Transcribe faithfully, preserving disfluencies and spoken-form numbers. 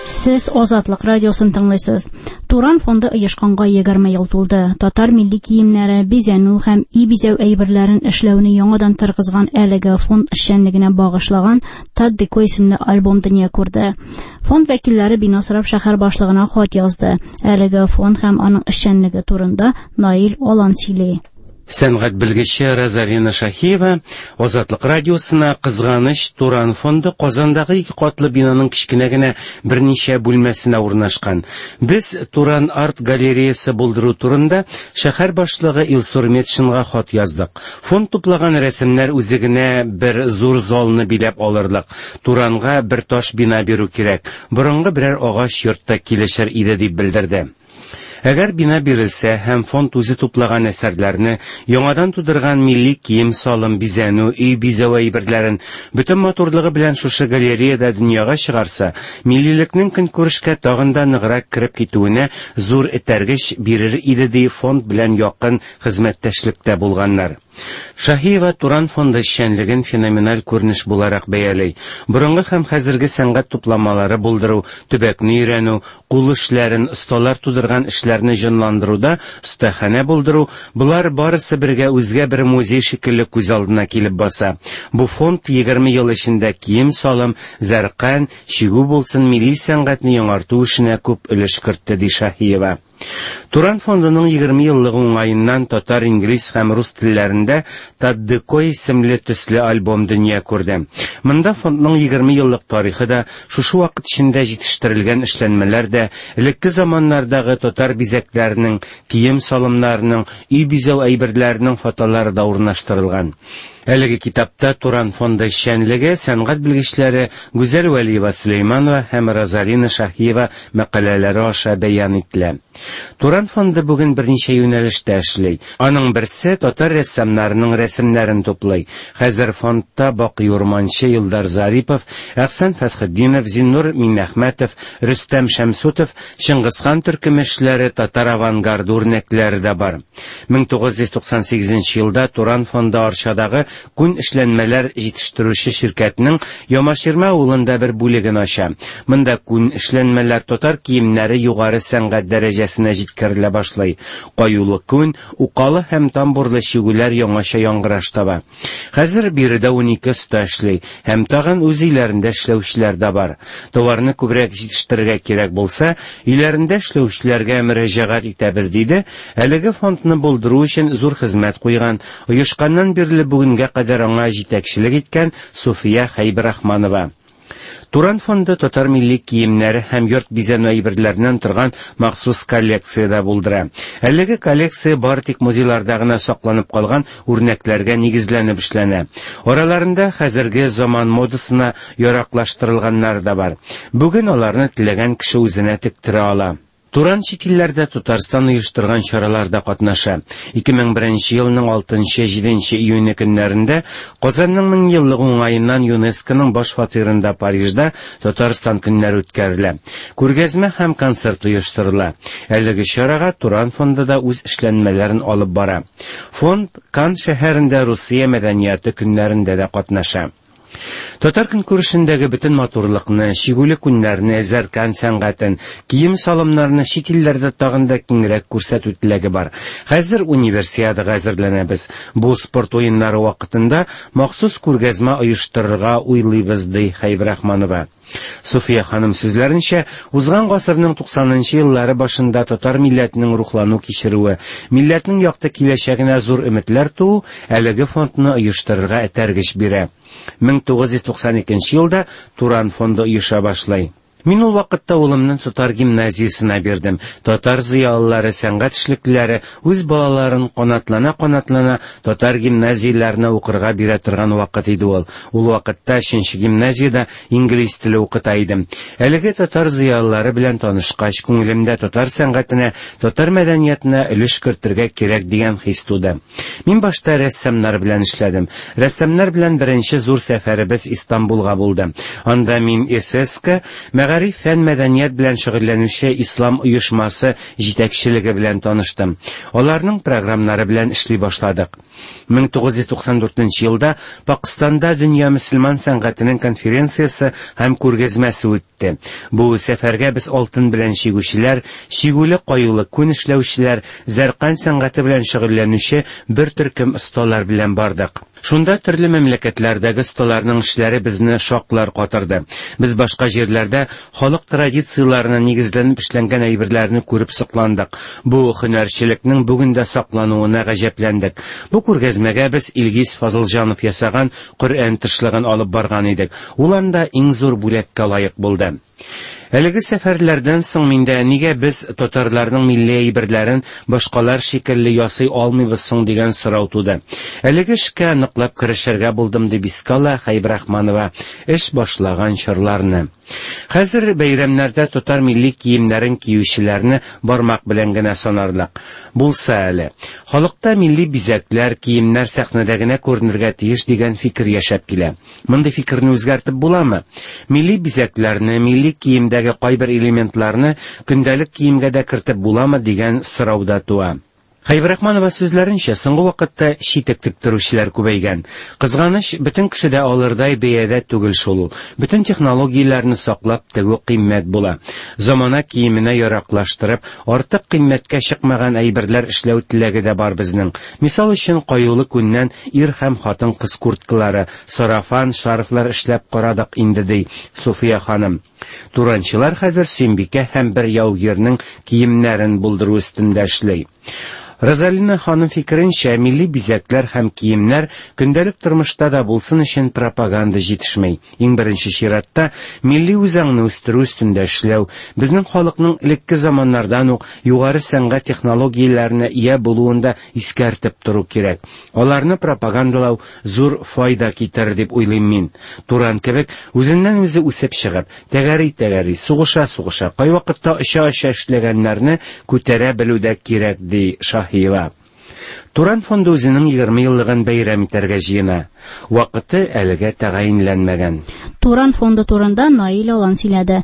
Сез Азатлык радиосын тыңлыйсыз. Туран фонды оешканга егерме ел тулды. Татар милли киемнәре, бизәнү һәм өй бизәү әйберләрен эшләүне яңадан торгызган әлеге фонд эшчәнлегенә багышлаган Таддеко исемле альбом дөнья күрде. Фонд вәкилләре бина сорап шәһәр башлыгына хат язды. Әлеге фонд һәм аның эшчәнлеге турында Наил Алан сөйли. Сәнгать белгече Розалина Шахиева Азатлык радиосына кызганыч Туран фонды Казандагы ике катлы бинаның кечкенә генә берничә бүлмәсенә урнашкан. Без Туран арт галереясы булдыру турында шәһәр башлыгы Илсур Метшинга хат яздык. Фонд туплаган рәсемнәр үзе генә бер зур залны биләп алырлык. Туранга бер таш бина бирү кирәк. Борынгы берәр агач йортта килешер иде дип белдерде. Әгәр бина бирелсә һәм фонд үзе туплаган әсәрләрне, яңадан тудырган милли кием-салым, бизәнү, өй бизәү әйберләрен бөтен матурлыгы белән шушы галереяда дөньяга чыгарса, миллилекнең көнкүрешкә тагын да ныграк кереп китүенә зур этәргеч бирер иде ди фонд белән якын хезмәттәшлектә булганнар. Шахиева Туран фонды эшчәнлеген феноменаль күренеш буларак бәяли. Борынгы һәм хәзерге сәнгать тупламалары булдыру, төбәкне өйрәнү, кул эшләрен, осталар тудырган эшләрне җанландыруда остаханә булдыру, болар барысы бергә үзгә бер музей шикелле күз алдына килеп баса. Бу фонд егерме ел эчендә кием-салым, зәркан, чигү булсын милли сәнгатьне яңарту эшенә күп өлеш кертте, ди Шахиева. Туран фондының егерме еллыгы уңаеннан татар, инглиз һәм рус телләрендә Таддеко исемле төсле альбом дөнья күрде. Монда фондның егерме еллык тарихы да, шушы вакыт эчендә җитештерелгән эшләнмәләр дә, элекке заманнардагы татар бизәкләренең, кием-салымнарының, өй бизәү әйберләренең фотолары да урнаштырылган. Әлеге китапта Туран фонды эшчәнлеге сәнгать белгечләре Гүзәл Вәлиева Сөләйманова һәм Розалина Шахиева мәкаләләре аша бәян ителә. Туран фонды бүген берничә юнәлештә эшли. Аның берсе татар рәссамнарының рәсемнәрен туплый. Хәзер фондта Бакый Урманчы, Илдар Зарипов, Әхсән Фәтхетдинов, Зиннур Минәхмәтов, Рөстәм Шәмсутов, Чыңгызхан төркеме эшләре, татар авангарды үрнәкләре дә бар. мең тугыз йөз туксан сигезенче елда Туран фонды Арчадагы күн эшләнмәләр җитештерүче ширкәтнең Ямаширмә авылында бер бүлеген ача. Монда күн эшләнмәләр, татар киемнәре югары сәнгать дәрәҗәсенә җиткерелә башлый. Каюлы күн, укалы һәм тамбурлы чигүләр яңача яңгыраш таба. Хәзер биредә унике оста эшли һәм тагын үз өйләрендә эшләүчеләр дә бар. Товарны күбрәк җитештерергә кирәк булса, өйләрендә эшләүчеләргә мөрәҗәгать итәбез, диде. Әлеге фондны булдыру өчен зур хезмәт куйган, оешканнан бирле бүгенгә кадәр аңа җитәкчелек иткән Суфия Хәйбрахманова. Туран фонды татар милли киемнәре һәм йорт бизәнү әйберләреннән торган махсус коллекция дә булдыра. Әлеге коллекция бары тик музейларда гына сакланып калган үрнәкләргә нигезләнеп эшләнә. Араларында хәзерге заман модасына яраклаштырылганнар да бар. Бүген аларны теләгән кеше үзенә тектерә ала. Туран чит илләрдә Татарстан оештырган чараларда катнаша. ике мең беренче елның алтынчы, җиденче июне көннәрендә Казанның мең еллыгы уңаеннан ЮНЕСКОның баш фатирында Парижда Татарстан көннәре үткәрелә. Күргәзмә һәм концерт оештырыла. Әлеге чарага Туран фонды да үз эшләнмәләрен алып бара. Фонд Кан шәһәрендә Русия мәдәнияте көннәрендә дә катнаша. Татар көнкүрешендәге бөтен матурлыкны, чигүле күннәрне, зәркан сәнгатен, кием-салымнарны чит илләрдә тагын да киңрәк күрсәтү теләге бар. Хәзер универсиадага әзерләнәбез. Бу спорт уеннары вакытында махсус күргәзмә оештырырга уйлыйбыз, ди Хәйбрахманова. Суфия ханым сүзләренчә, узган гасырның туксанынчы еллары башында татар милләтенең рухлану кичерүе, милләтнең якты киләчәгенә зур өметләр туу әлеге фондны оештырырга этәргеч бирә. мең тугыз йөз туксан икенче елда Туран фонды оеша башлый. Мин ул вакытта улымны татар гимназиясенә бирдем. Татар зыялылары, сәнгать эшлеклеләре үз балаларын канатлана-канатлана татар гимназияләренә укырга бирә торган вакыт иде ул. Ул вакытта өченче гимназиядә инглиз теле укыта идем. Әлеге татар зыялылары белән танышкач, күңелемдә татар сәнгатенә, татар мәдәниятенә өлеш кертергә кирәк дигән хис туды. Мин башта рәссамнар белән эшләдем. Рәссамнар белән беренче зур сәфәребез Истанбулга булды. Анда мин ССК Мәгариф, фән, мәдәният белән шөгыльләнүче ислам оешмасы җитәкчелеге белән таныштым. Аларның програмнары белән эшли башладык. мең тугыз йөз туксан дүртенче елда Пакстанда дөнья мөселман сәнгатенең конференциясе һәм күргәзмәсе үтте. Бу сәфәргә без алтын белән чигүчеләр, чигүле каюлы күн эшләүчеләр, зәркан сәнгате белән шөгыльләнүче бер төркем осталар белән бардык. Шунда төрле мәмләкәтләрдәге осталарның эшләре безне шаклар катырды. Без башка җирләрдә халык традицияләренә нигезләнеп эшләнгән әйберләрне күреп сокландык. Бу һөнәрчелекнең бүген дә саклануына гаҗәпләндек. Бу күргәзмәгә без Илгиз Фазылҗанов ясаган Коръән тышлыгын алып барган идек. Ул анда иң зур бүләккә лаек булды. Әлеге сәфәрләрдән соң миндә нигә без татарларның милли әйберләрен башкалар шикелле ясый алмыйбыз соң дигән сорау туды. Әлеге эшкә ныклап керешергә булдым, дип искә ала Хәйбрахманова эш башлаган чорларны. Хәзер бәйрәмнәрдә татар милли киемнәрен киючеләрне бармак белән генә санарлык. Булса әле. Халыкта милли бизәкләр, киемнәр сәхнәдә генә күренергә тиеш дигән фикер яшәп килә. Мондый фикерне үзгәртеп буламы? Милли бизәкләрне, милли киемдәге кайбер элементларны көндәлек киемгә дә кертеп буламы дигән сорау да туа. Хәйбрахманова сүзләренчә, соңгы вакытта читек тектерүчеләр күбәйгән. Кызганыч, бөтен кеше дә алырдай бәядә түгел шул ул. Бөтен технологияләрне саклап тегү кыйммәт була. Замана киеменә яраклаштырып, артык кыйммәткә чыкмаган әйберләр эшләү теләге дә бар безнең. Мисал өчен, каюлы күннән ир һәм хатын-кыз курткалары, сарафан, шарфлар эшләп карадык инде, ди Суфия ханым. Туранчылар хәзер Сөембикә һәм бер яугирнең киемнәрен булдыру өстендә эшли. Розалина ханым фикеренчә, милли бизәкләр һәм киемнәр көндәлек тормышта да булсын өчен пропаганда җитешмәй. Иң беренче чиратта милли үзаңны үстерү өстендә эшләү, безнең халыкның элекке заманнардан ук югары сәнгать технологияләренә ия булуын да искәртеп тору кирәк. Аларны пропагандалау зур файда китерер дип уйлыйм мин. Туран кебек үзеннән үзе үсеп чыгып, тәгәри-тәгәри, сугыша-сугыша, кайвакытта оча-оча эшләгәннәрне күтәрә белү дә кирәк, ди Шаһиева. Туран фонды үзенең егерме еллыгын бәйрәм итәргә җыена. Вакыты әлегә тәгаенләнмәгән. Туран фонды турында Наил Алан сөйләде.